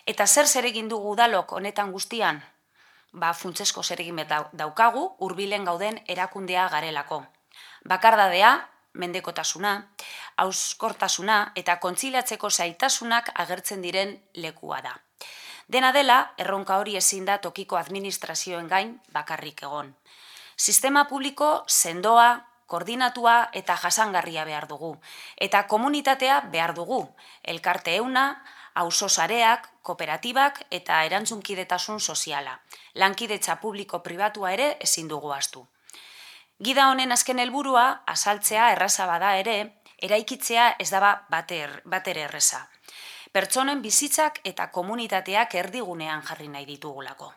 Eta zer egin dugu udalok honetan guztian? Funtsezko zeregin daukagu hurbilen gauden erakundea garelako. Bakardadea, mendekotasuna, hauskortasuna eta kontziliatzeko zailtasunak agertzen diren lekua da. Dena dela, erronka hori ezin da tokiko administrazioen gain bakarrik egon. Sistema publiko sendoa, koordinatua eta jasangarria behar dugu. Eta komunitatea behar dugu. Elkarte euna, auzo sareak, kooperatibak eta erantzunkidetasun soziala. Lankidetza publiko-pribatua ere ezin dugu ahaztu. Gida honen azken helburua, azaltzea erraza bada ere, eraikitzea ez da batere erreza. Pertsonen bizitzak eta komunitateak erdigunean jarri nahi ditugulako.